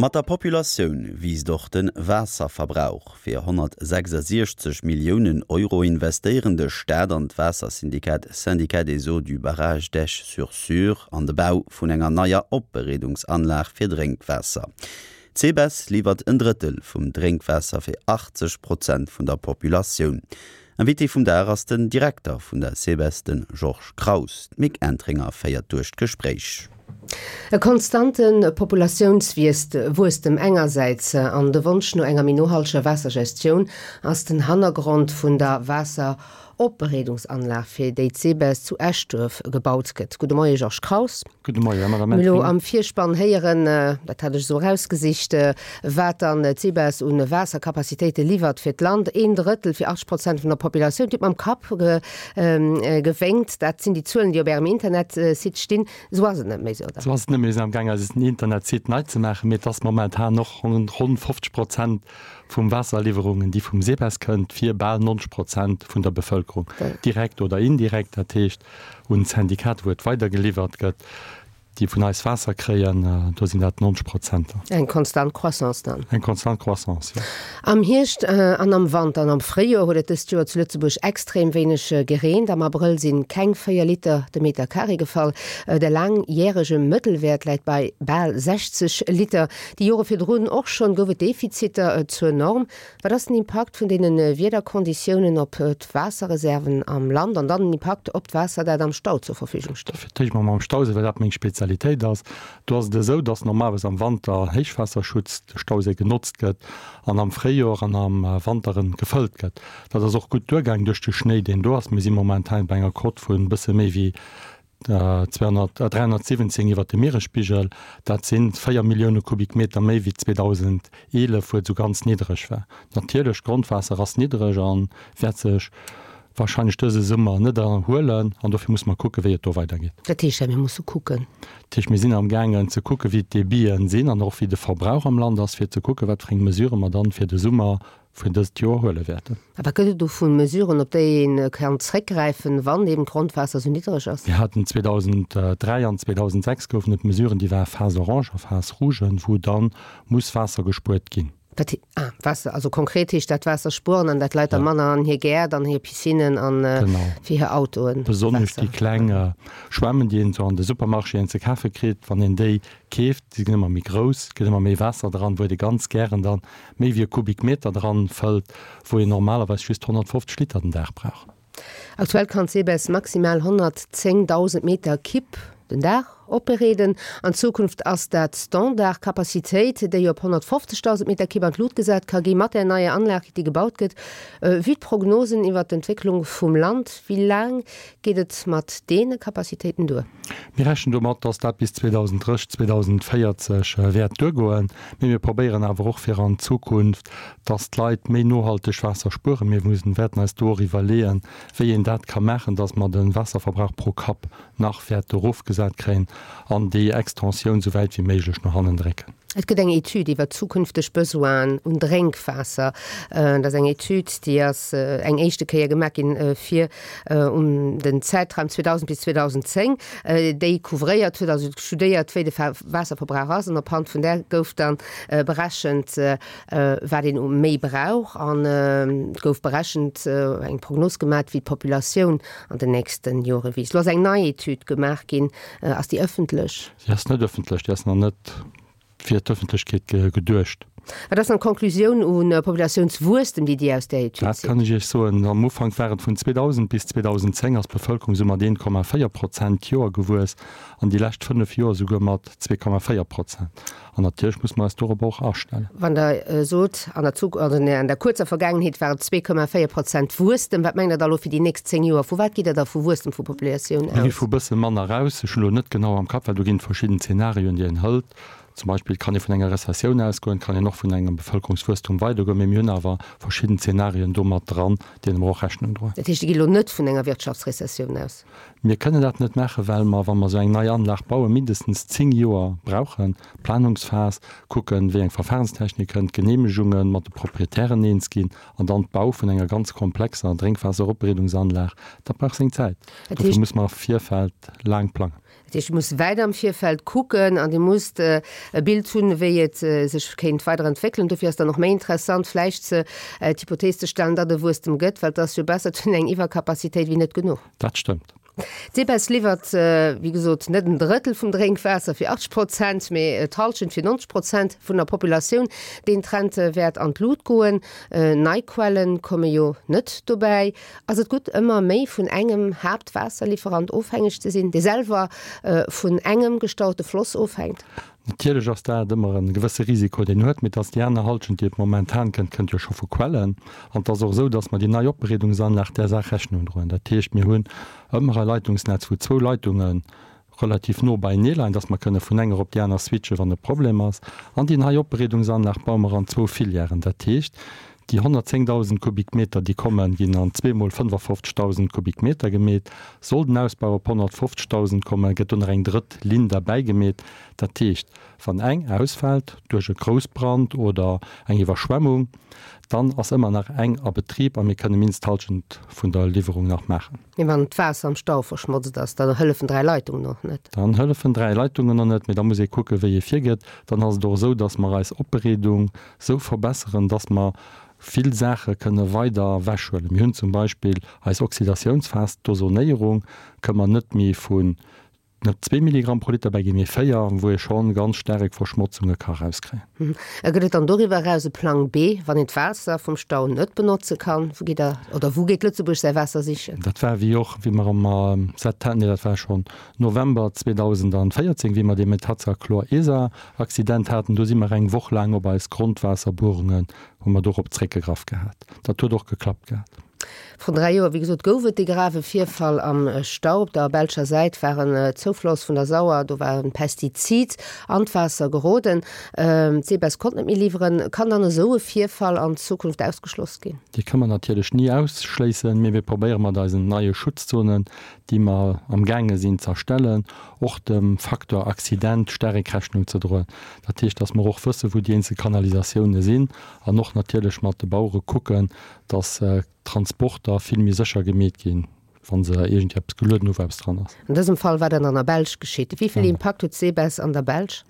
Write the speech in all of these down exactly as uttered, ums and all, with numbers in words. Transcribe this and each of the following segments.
Mat der Populatioun wiisst och de Waasserverbrauch. Fir honnertsechsasiechzeg Milliounen Euro investéieren de Staat an d'Waassersyndikat Syndicat des eaux du barrage d'Esch-sur-Sûre an de Bau vun enger neier Opbereedungsanlag fir Drénkwaasser. D'Sebes liwwert en Drëttel vum Drénkwaasser fir achtzeg Prozent vun der Populatioun. Invité vum Dag ass den Direkter vun der Sebes, de Georges Kraus. D'Mick Entringer féiert duerch d'Gespréich. E konstante Populatiounswuesstem engersäits an de Wonsch no enger méi nohalteger Waassergestioun ass den Hannergrond vun der Waasseropbereedungsanlag, fir déi d'Sebes zu Eschduerf gebaut gëtt. Gudde Moie Georges Kraus. Gudde Moie Madame Mir elo Entringer. am Virspann héieren, dat hat ech esou erausgesicht, wat dann d'Sebes un Waassercapacitéite liwwert fir d'Land, een Drëttel fir achtzeg Prozent vun der Populatioun. Dir hutt mam Kapp gewénkt. Dat sinn déi Zuelen, déi op Ärem Internetsite stinn. Esou ass et net méi, oder? Esou ass et net méi. Mir sinn amgaang eisen Internetsite nei ze maachen, mee et ass momentan och ronn fofzeg Prozent vum Waasserliwwerungen, déi vum Sebes kënnt, fir bal neunzeg Prozent vun der Bevëlkerung, direkt oder indirekt, dat heescht un d'Syndikater, wou et weidergeliwwert gëtt, déi vun eis Waasser kréien, do sinn dat neunzeg Prozenter. Eng konstant Croissance dann? Eng konstant Croissance, jo. Am Hierscht an am Wanter an am Fréijoer huet et dëst Joer zu Lëtzebuerg extrem wéineg gereent. Am Abrëll si keng véier Liter de Meter Carré gefall. De laangjärege Mëttelwäert läit bei bal sechzeg Liter. Déi Jore virdrun och schonn gouf et Defiziter zur Norm. Wat ass den Impakt vun deene Wiederkonditiounen op d'Waasserreserven am Land an dann den Impakt op d'Waasser, dat am Stau zur Verfügung steet? Fir d'éischt mol mam Stauséi, well dat meng Spezialitéit ass. Do ass et esou, dass normalerweis am Wanter Héichwaasserschutz de Stauséi genotzt gëtt an am Fréijoer an am Wanter en gefëllt gëtt. Dat ass och gutt duergaang duerch de Schnéi, deen do ass. Mir si momentan bei enger Cote vun e bësse méi wéi zweehonnertsiwwenzéng iwwert dem Mieresspigel. Dat si véier Millioune Kubikmeter méi wéi zweedausendeelef, wou et esou ganz niddreg war. Natierlech, d'Grondwaasser ass niddreg a wäert sech warscheinlech dëse Summer net erhuelen an dofir musse mer kucken, wéi et do weidergeet. Dat heescht, mir musse kucken. Dat heescht, mir sinn amgaangen ze kucken, wéi d'Debiten sinn an och wéi de Verbrauch am Land ass, fir ze kucken, wat fir eng Mesurë mer dann fir de Summer vun dëst Joer huele wäerten. A wat gëtt et do vu Mesuren, op déi ee kann zréckgräifen, wann eben d'Grondwaasser esou niddreg ass? Mir haten zweedausenddräi an zweedausendsechs goufen et Mesuren, déi ware Phase orange a Phase rouge, wou da muss Waasser gespuert ginn. Wat, ah, Waasser, also konkret heescht dat Waasser spueren an dat d'Leit da manner an hir Gäert, an hir Piscinnen an fir hir Autoen. Besonnesch déi kleng Schwämmen, déi een esou an de Supermarchéen ze kafe kritt, wann een déi keeft, déi ginn ëmmer méi grouss, et gëtt ëmmer méi Waasser dran, wou ee ganz gären dann méi wéi e Kubikmeter dran fëllt, wou een normalerweis just honnertfofzeg Liter den Dag brauch. Aktuell kann d'Sebes maximal honnertzéngdausend Meter Kipp den Dag opbereeden. An Zukunft ass dat d'Standardcapacitéit, déi op honnertfofzegdausend Meter Kipp an d'Lut gesat ka gi mat där neier Anlag, déi gebaut gëtt. Vue d'Prognosen iwwer d'Entwécklung vum Land, wéi laang geet et mat deene Capacitéiten duer? Mir rechnen domat, dass dat bis zweedausenddrësseg, zweedausenvéierzeg wäert duergoen. Mee mir probéieren awer och fir an Zukunft, dass d'Leit méi nohalteg Waasser spueren. Mir mussen, wäerten eis do och iwwerleeën, wéi een dat ka maachen, dass mer de Waasserverbrauch pro Kapp nach wäerte erofgesat kréien an déi Extensioun esou wäit wéi méiglech no hannen drécken. Et gëtt eng Etüd iwwer zukünfteg Besoinen un Drénkwaasser. Dat ass eng Etüd, déi ass eng éischte Kéier gemaach ginn fir um den Zäitraum zweedausend bis zweedausendzéng, déi couvréiert huet, also studéiert, wéi de Waasserverbrauch ass. An op Hand vun där gouf dann berechent, wat een u méi brauch. An et gouf berechent, eng Prognos gemaach, wéi d'Populatioun an den nächste Jore wiisst. Elo ass eng nei Etüd gemaach ginn. Ass déi ëffentlech? Déi ass net ëffentlech, déi ass nach net fir d'Ëffentlechkeet geduecht. Wat ass dann d'Konklusioun u Populatiounswuesstem, déi Dir aus där Etüd Dat zitt? kann ech Iech soen. Am Ufank war et vun zweedausend bis zweedausendzéng ass d'Bevëlkerung esou mat een Komma véier Prozent d'Joer gewuess an déi lescht fënnef Joer esouguer mat zwee Komma véier Prozent. An natierlech muss mer eis dorobber och astellen. Wann Der sot, an der Zuk-, also an der kuerzer Vergaangenheet war et zwee Komma véier Prozent Wuesstem, wat mengt Der da elo fir déi nächst zéng Joer? Vu wat gitt Der da vu Wuesstem vu Populatioun Mir gi aus? vu bësse manner aus. Ech hunn elo net genau am Kapp, well do ginn et verschidden Zenarioen, déi een hëlt. Zum Beispill kann ee vun enger Rezessioun ausgoen, et kann een och vun engem Bevëlkerungswuesstum weidergoen, mee mir hunn awer verschidden Zenarien do mat dran, deene mer och Rechnung droen. Dat heescht, Dir gitt elo net vun enger Wirtschaftsrezessioun aus? Mir kënnen dat net maachen, well mer, wa mer esou eng nei Anlag bauen, mindestens zéng Joer brauchen, Planungsphas, kucken, wéi eng Verfahrenstechnik kënnt, d'Geneemegungen, mat de Proprietären eens ginn an dann d'Bau vun enger ganz komplexer Drénkwaasseropbereedungsanlag. Dat brauch seng Zäit. Dat Dofir heescht. muss mer am Virfeld laang plangen. Dat heescht, Dir musst wäit am Virfeld kucken an Dir musst e Bild hunn, wéi et sech kéint weider entwéckelen. Dofir ass dann och méi interessant vläicht ze d'Hypothees ze stellen, datt e Wuesstem gëtt, well et ass jo besser, et hunn eng Iwwercapacitéit wéi net genuch. Dat stëmmt. D'SEBES liwwert, wéi gesot, net en Drëttel vum Drénkwaasser fir achtzeg Prozent, mee d'Hallschent fir nonzeg Prozent vun der Populatioun. Deen Trend wäert an d'Lut goen. Nei Quelle komme jo net dobäi. Ass et gutt, ëmmer méi vun engem Haaptwaasserliwwerant ofhängeg ze sinn, dee selwer vun engem gestaute Floss ofhänkt? Natierlech ass dat ëmmer e gewësse Risiko, deen een huet, mee et ass déi aner Hallschent, déi et momentan kënnt, kënnt jo scho vu Quellen. An et ass och esou, datt mer déi nei Opbereedungsanlag där Saach Rechnung droen. Dat heescht, mir hunn ëmmer e Leitungsnetz, wou zwou Leitunge relativ no beienee leien, datt mer kënne vun enger op déi aner switchen, wann e Problem ass. An déi nei Opbereedungsanlag baue mer an zwou Filièren. Dat heescht, déi honnertzéngdausend Kubikmeter, déi kommen, ginn an zweemol fënnefafofzegdausend Kubikmeter gemeet. Soll den Ausbau op honnertfofzegdausend kommen, gëtt do nach eng drëtt Linn derbäi gemeet. Dat heescht, wann eng ausfält duerch e Groussbrand oder eng Iwwerschwemmung, dann ass ëmmer nach eng a Betrib a mir kënne mindest d'Hallschent vun der Liwwerung nach maachen. Mee wann d'Waasser am Stau verschmotzt ass, dann hëllefen dräi Leitungen och net. Dann hëllefen dräi Leitungen och net, mee da muss ee kucken, wéi ee virgeet. Dann ass et och esou, dass mer eis Opbereedung esou verbesseren, dass mer vill Saache kënne weider ewechhuelen. Mir hunn zum Beispill eis Oxidatiounsphas, d'Ozonéierung, kënne mer net méi vun net zwee Milligramm pro Liter bäiginn, mee véier, wou ee scho ganz staark Verschmotzunge ka erauskréien. A gëtt et dann doriwwer eraus e Plang B, wann een d'Waasser vum Stau net benotze kann? Wou geet der, oder wou geet Lëtzebuerg säi Waasser sichen? Dat war wéi och, wéi mer am Septem-, nee, dat war schonn November zweedausendvéierzéng, wéi mer dee Metazachlor-Esa-Accident haten, do si mer eng Woch laang op eis Grondwaasserbuerungen, hu mer dorop zréckgegraff gehat. Dat huet och geklappt gehat. Vrun dräi Joer, wéi gesot, gouf et dee grave Virfall am Stau. Op der belscher Säit war en Zoufloss vun der Sauer, do war e Pestizid an d'Waasser geroden. D'SEBES konnt net méi liwweren. Kann dann esou e Virfall an Zukunft ausgeschloss ginn? Dee ka mer natierlech ni ausschléissen, mee mir probéiere mat eisen neie Schutzzonen, déi mer amgaange sinn z'erstellen, och dem Facteur Accident staark Rechnung ze droen. Dat heescht, datt mer och wëssen, wou déi eenzel Kanalisatioune sinn an och natierlech mat de Bauere kucken, datt d'Transporter vill méi sécher gemeet ginn, wa se iergendwéi eppes gelueden hu wou eppes dran ass. An dësem Fall war dat an der Belsch geschitt. Wéi vill Impakt huet d'SEBES an der Belsch?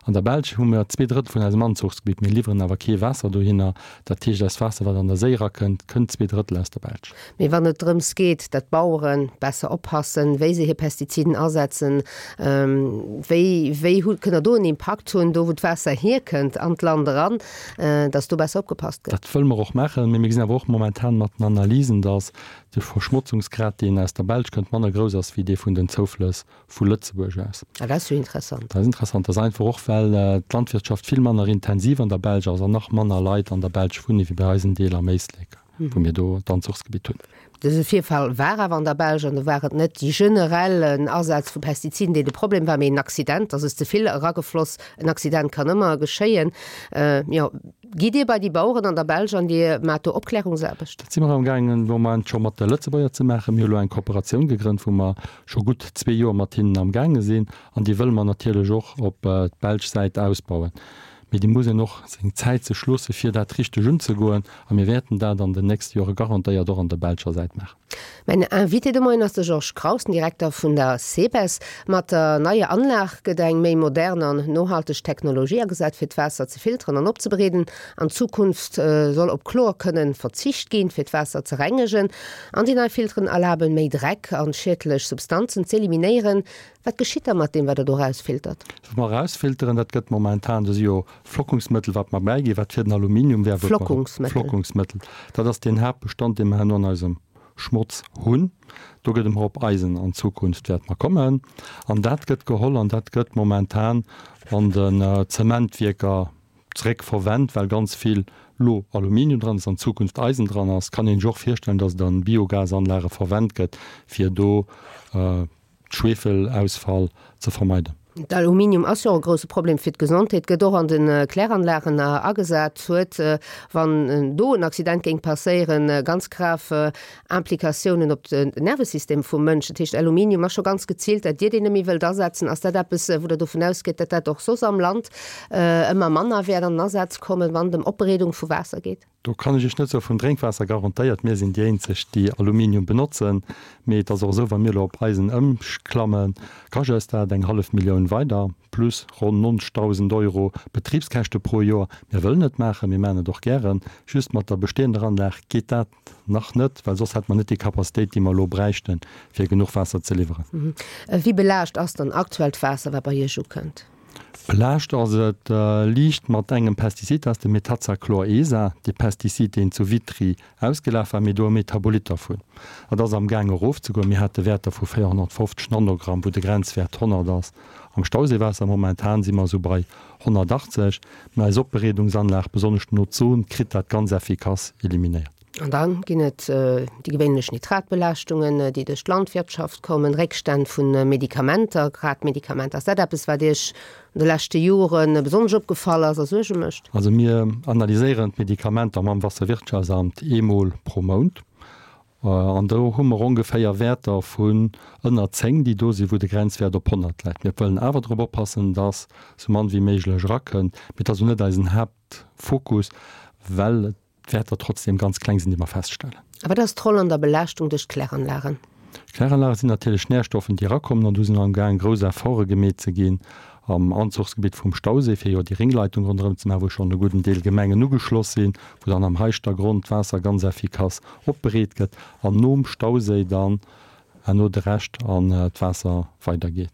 An der Belsch hu mer zwee Drëttel vun eisem Anzuchsgebitt. Mir liwweren awer kee Waasser dohinner. Dat heescht, eist Waasser, wat an der Séi erakënnt, kënnt zwee Drëttel aus der Belsch. Mee wann et drëms geet, datt d'Bauere besser oppassen, wéi se hir Pestiziden asetzen, wéi, wéi hu, kënnt Der do en Impakt hunn, do wou d'Waasser hierkënnt an d'Land eran, datt do besser opgepasst gëtt? Dat wëlle mer och maachen. Mee mir gesinn awer och momentan mat den Analysen, datt de Verschmotzungsgrad, deen aus der Belsch kënnt, manner grouss ass wéi dee vun den Zouflëss vu Lëtzebuerg aus. Ah, dat ass jo interessant. Dat ass interessant. Dat ass einfach och, well d'Landwirtschaft vill manner intensiv an der Belsch ass an nach manner Leit an der Belsch wunne wéi bei eis en Deel am Éislek, wou mir do d'Anzuchsgebitt hunn. Dëse Virfall war awer an der Belsch an do war et net déi generell Asaz vu Pestiziden, deen de Problem war, mee en Accident, dass es ze vill eragefloss. En Accident kann ëmmer geschéien. Jo, gitt Dir bei déi Baueren an der Belsch an Dir maacht do Opklärungsaarbecht? Dat si mer amgaangen de Moment scho mat de Lëtzebuerger ze maachen. Mir hu lo eng Kooperatioun gegrënnt, wou mer scho gutt zwee Joer mat hinnen amgaange sinn an déi wëlle mer natierlech och op d'belsch Säit ausbauen. Mee déi muss een och seng Zäit sech loosse fir dat richteg unzegoen a mir wäerten dat an den nächste Jore garantéiert och an der belscher Säit maachen. Mäin Invité de Moien ass de Georges Kraus, den Direkter vun der SEBES. Mat der neier Anlag gëtt eng méi modern an nohalteg Technologie agesat, fir d'Waasser ze filteren an opzebereeden. An Zukunft soll op Chlor kënnen verzicht ginn, fir d'Waasser ze rengegen. An déi nei Filteren erlaben, méi Dreck an schiedlech Substanzen z'eliminéieren. Wat geschitt da mat deem, wat Der do erausfiltert? Wat mer erausfilteren, dat gëtt momentan, do si jo Flockungsmëttel, wat mer bäiginn, wat fir den Aluminium wär, wou mer. Flockungsmëttel. Flockungsmëttel. Dat ass deen Haaptbestand, dee mer herno an eisem Schmotz hunn. Do gëtt emmer op Eisen an Zukunft wäerte mer kommen. An dat gëtt geholl an dat gëtt momentan an den Zementwierker zeréck verwennt, well ganz vill lo Aluminium dran ass, an Zukunft Eisen dran ass. Kann een sech och virstellen, dass et an Biogasanlage verwennt gëtt, fir do Schwefelausfall ze vermeiden. D'Aluminium ass jo och e grousse Problem fir d'Gesondheet, gëtt och an de Kläranlagen agesat, huet, wann do en Accident géing passéieren, ganz grav Implikatiounen op den Nervesystem vum Mënsch. Dat heescht, Aluminium ass scho ganz geziilt dat Dir deen net méi wëllt asetzen. Ass dat eppes, wou Der dovun ausgeet, datt dat och soss am Land ëmmer manner wäert an den Asaz kommen, wann et ëm Opbereedung vu Waasser geet? Do kann ech Iech net soe vum Drénkwaasser garantéiert. Mir sinn déi eenzeg, déi Aluminium benotzen. Mee et ass och esou, wa mir elo op Eisen ëmklammen, kascht eis dat eng hallef Millioun weider, plus ronn neunzigtausend Euro Betribskäschte pro Joer. Mir wëllen et maachen, mir maachen et och gären. Just mat der bestehender Anlag geet dat nach net, well soss hätte mer net déi Capacitéit, déi mer elo bräichten, fir genuch Waasser ze liwweren. Wéi belaascht ass dann aktuell d'Waasser, wat bei Iech ukënnt? Belaascht ass et liicht mat engem Pestizid, dat ass de Metazachlor-ESA, dee Pestizid, deen zu Vitry ausgelaf war, mee do e Metabolit dervun. Dat ass am Gaang erofzegoen. Mir hate Wäerter vu véierhonnertfofzeg Nanogramm, wou de Grenzwäert honnert ass am Stauseewaasser. Momentan si mer esou bei honnertachtzeg. Mä eis Opbereedungsanlag, besonnesch den Ozon, kritt dat ganz effikass eliminéiert. An da ginn et déi gewéinlech Nitratbelaaschtungen, déi duerch d'Landwirtschaft kommen, Réckstänn vu Medikamenter, grad Medikamenter. Ass dat eppes, wat Iech an de leschte Jore besonnesch opgefall ass a Suerge mécht? Also mir analyséieren d'Medikamenter mam Wasserwirtschaftsamt eemol pro Mount. An do hu mer ongeféier Wäerter vun ënner zéng, déi do sinn, wou de Grenzwäert op honnert läit. Mir wëllen awer drop oppassen, dass sou mann wéi méiglech erakënnt. Mee et ass elo net eisen Haaptfokus, well et d'Wäerter trotzdem ganz kleng sinn, déi mer feststellen. A wat ass d'Roll an der Belaaschtung duerch d'Kläranlagen? D'Kläranlage sinn natierlech Nährstoffen, déi erakommen, an do sinn amgaang grouss Efforte gemeet ze ginn am Anzuchsgebitt vum Stauséi, fir jo déi Ringleitung ronderëm ze maachen, wou schonn e gudden Deel Gemengen ugeschloss sinn, wou dann am Heischtergronn d'Waasser ganz effikass opbereet gëtt an nom Stauséi dann herno de Rescht an d'Waasser weidergeet.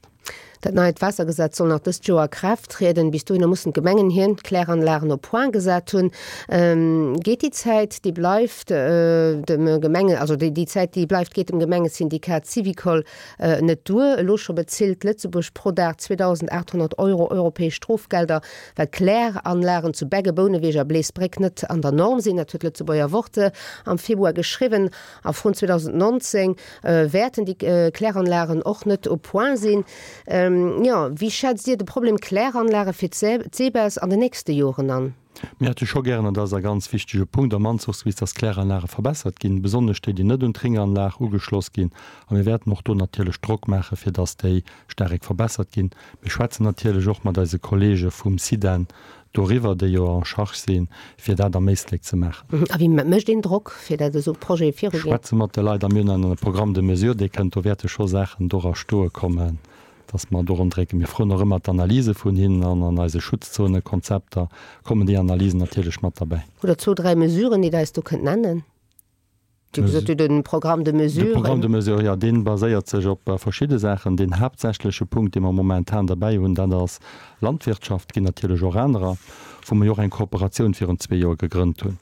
Dat neit Waassergesetz soll nach dëst Joer a Kraaft trieden. Bis dohinner mussen d'Gemengen hir Kläranlagen op Point gesat hunn. Geet déi Zäit, déi bleift, dem Gemenge, also déi Zäit, déi bleift, geet dem Gemengesyndikat Syvicol net duer. Elo scho bezilt Lëtzebuerg pro Dag zweedausendachthonnert Euro europäesch Strofgelder, well d'Kläranlagen zu Beggen, Bouneweg a Bleesbréck net an der Norm sinn. Dat huet d'Lëtzebuerger Wort am Februar geschriwwen. A vrun zweedausendnonzéng wäerten déi Kläranlagen och net au point sinn. Jo, wéi schätzt Dir de Problem Kläranlage fir d'SEBES an den nächste Joren an? Mir hätte scho gären, an dat ass e ganz wichtege Punkt am Anzuchsgebitt, dass d'Kläranlage verbessert ginn, besonnesch déi, déi net un d'Ringanlag ugeschloss ginn. A mir wäerten och do natierlech Drock maachen, fir dass déi staark verbessert ginn. Mir schwätzen natierlech och mat eise Kollege vum SIDEN doriwwer, déi jo en charge sinn, fir dat am Éislek ze maachen. A wéi mécht een Drock, fir datt esou Projete viruginn? Schwätze mat de Leit a mir hunn en Programme de mesures, dee kënnt, do wäerte scho Saachen dora stoe kommen, datt mer dorun drécken. Mir froen och ëmmer d'Analyse vun hinnen an an eise Schutzzonekonzepter kommen déi Analysen natierlech mat derbäi. Hutt Der zwou, dräi Mesuren, déi Der eis do kënnt nennen? Dir hutt gesot, Dir hutt e Programme de mesures. De Programme de mesures, jo, dee baséiert sech op verschidde Saachen. Deen haaptsächleche Punkt, dee mer momentan derbäi hunn, dat ass Landwirtschaft. Et ginn natierlech och anerer, wou mer jo och eng Kooperatioun virun zwee Joer gegrënnt hunn,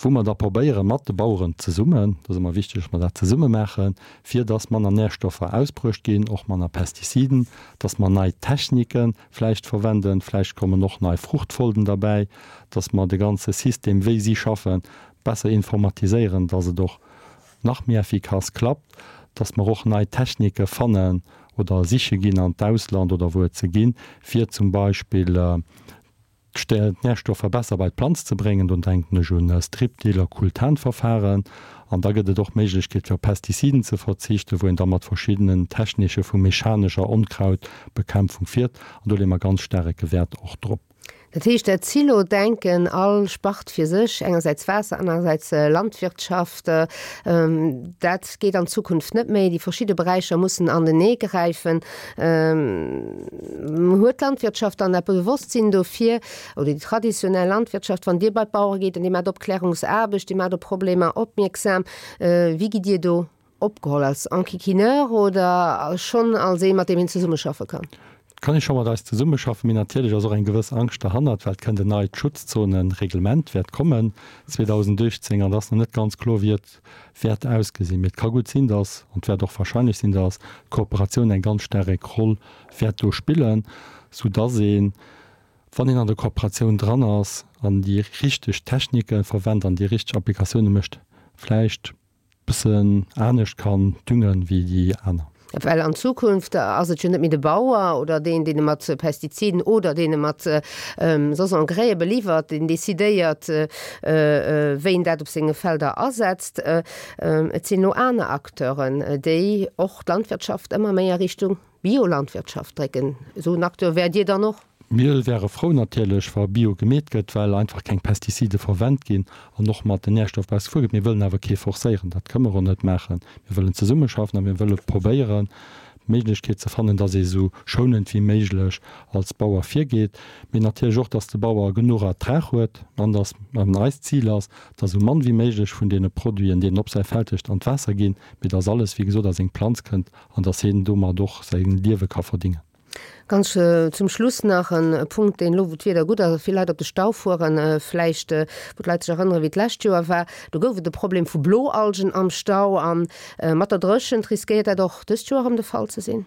wou mer da probéiere mat de Baueren zesummen, dat ass ëmmer wichteg, dass mer dat zesumme maachen, fir dass manner Nährstoffer ausbruecht ginn, och manner Pestiziden, dass mer nei Technike vläicht verwenden, vläicht kommen och nei Fruchtfolgen derbäi, dass mer de ganze System, wéi si schaffen, besser informatiséieren, dass et och nach méi effikass klappt, dass mer och nei Technike fannen oder siche ginn an d'Ausland oder wou et se ginn, fir zum Beispill d'Närstoffer besser bei d'Planz ze bréngen. Do denken ech un Strip-Till a Cool-Tan-Verfahren. An da gëtt et och d'Méiglechkeet fir op Pestiziden ze verzichten, wou een da mat verschiddenen Technike vu mechanescher Onkrautbekämpfung fiert. An do leeë mer ganz staarke Wäert och drop. Dat heescht, dat Silo-Denken, all Spart fir sech, engersäits Waasser, anerersäits Landwirtschaft, dat geet an Zukunft net méi. Déi verschidde Beräicher mussen anenee gräifen. Huet d'Landwirtschaft dann dat Bewosstsinn dofir, oder déi traditionell Landwirtschaft, wann Dir bei d'Bauere gitt an Dir maacht Opklärungsaarbecht, Dir maacht op Problemer opmierksam, wéi gitt Dir do opgeholl? Als Enquiquineur oder schonn als ee, mat deem een zesummeschaffe kann? Et kann ee scho mat eis zesummeschaffen, mee natierlech ass och eng gewëss Angscht derhannert, well et kënnt en neit Schutzzonereglement, wäert kommen zweedausendachtzéng, an et ass nach net ganz kloer, wéi et wäert ausgesinn. Mee et ka gutt sinn, dass, an et wäert och wahrscheinlech sinn, dass d'Kooperatioun eng ganz staarek Roll wäert do spillen, soudass een, wann een an der Kooperatioun dran ass an déi richteg Technike verwennt an déi richteg Applikatioune mécht, vläicht bëssen anescht kann düngen wéi déi aner. Well an Zukunft ass et jo net méi de Bauer oder deen, deen e mat Pestiziden oder deen e mat soss Engrais beliwwert, deen decidéiert, wéi en dat op senge Felder asetzt. Et sinn elo aner Acteuren, déi och d'Landwirtschaft ëmmer méi a Richtung Biolandwirtschaft drécken. Esou en Acteur wäert Dir dann och? Mir wäre frou natierlech, wa Bio gemeet gëtt, well einfach keng Pestizide verwennt ginn an och mat den Nährstoff besser gefuer gëtt. Mir wëllen awer kee forcéieren, dat kënne mer och net maachen. Mir wëllen zesummeschaffen a mir wëlle probéieren, d'Méiglechkeet ze fannen, dass ee sou schounend wéi méiglech als Bauer virgeet, mee natierlech och, dass de Bauer genuch Ertrag huet an dass an eist Zil ass, dass esou mann wéi méiglech vun deene Produiten, déi en op säi Feld huet, an d'Waasser ginn, mee dass alles, wéi gesot, a seng Planz kënnt an dass hien domat och säi Liewe ka verdingen. Ganz zum Schluss nach e Punkt, deen elo, wou d'Wieder gutt ass a vill Leit op de Stau fueren, vläicht, wou d'Leit sech erënneren, wéi d'lescht Joer war, do gouf et e Problem vu Bloalgen am Stau. A mat der Dréchent riskéiert dat och dëst Joer erëm de Fall ze sinn?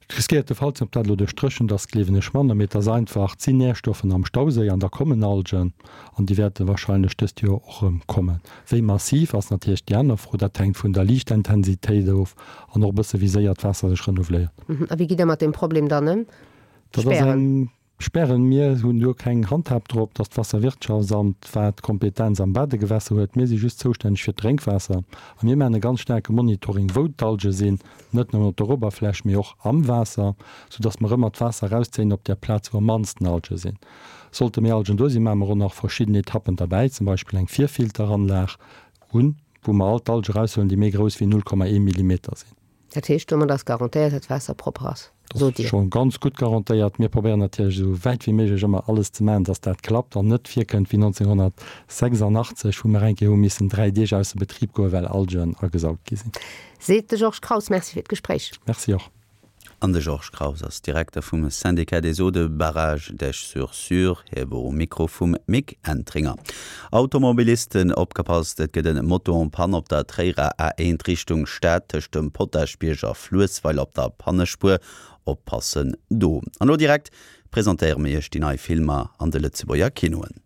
Et riskéiert de Fall ze sinn. Ob dat elo duerch d'Dréchent ass, gleewen ech manner, mee et ass einfach, et sinn Närstoffen am Stauséi an da kommen Algen an déi wäerte wahrscheinlech dëst Joer och erëm kommen. Wéi massiv ass natierlech déi aner Fro, dat hänkt vun der Liichtintensitéit of an och e bësse wéi séier d'Waasser sech renouveléiert. A wéi gitt Der mat deem Problem dann ëm? Dat ass eng Spären. Mir hunn do keng Handhab drop, dass d'Wasserwirtschaftsamt wat d'Kompetenz am Badegewässer huet. Mir si just zoustänneg fir d'Drénkwaasser a mir maachen e ganz staarke Monitoring, wou d'Alge sinn, net nëmmen op der Oberfläch, mee och am Waasser, soudass mer ëmmer d'Waasser erauszéien op där Plaz, wou am mannsten Alge sinn. Sollte méi Algen do sinn, maache mer och nach verschidden Etappen derbäi, zum Beispill eng Virfilteranlag un, wou mer all d'Alge eraushuelen, déi méi grouss wéi null Komma ee Millimeter sinn. Dat heescht, domat ass garantéiert, datt d'Waasser propper ass, sot Dir? Dat ass scho ganz gutt garantéiert. Mir probéieren natierlech esou wäit wéi méiglech ëmmer alles ze maachen, datt dat klappt an net virkënnt wéi neunzehnhundertsechsundachtzig, wou mer eng Kéier hu missen dräi Deeg ausser Betrib goen, well Algen agesaugt gi sinn. Seet de Georges Kraus. Merci fir d'Gespréich. Merci och. An de Georges Kraus ass Direkter vum Syndicat des Eaux de Barrage d'Esch-sur-Sûre. Hie wor um Mikro vum Mick Entringer. Automobilisten opgepasst, et gëtt en Moto en panne op der Tréierer A eent Richtung Stad tëscht dem Potaschbierg a Fluessweiler op der Pannespuer. Oppassen do. An elo direkt presentéiere mir iech déi nei Filmer an de Lëtzebuerger Kinoen.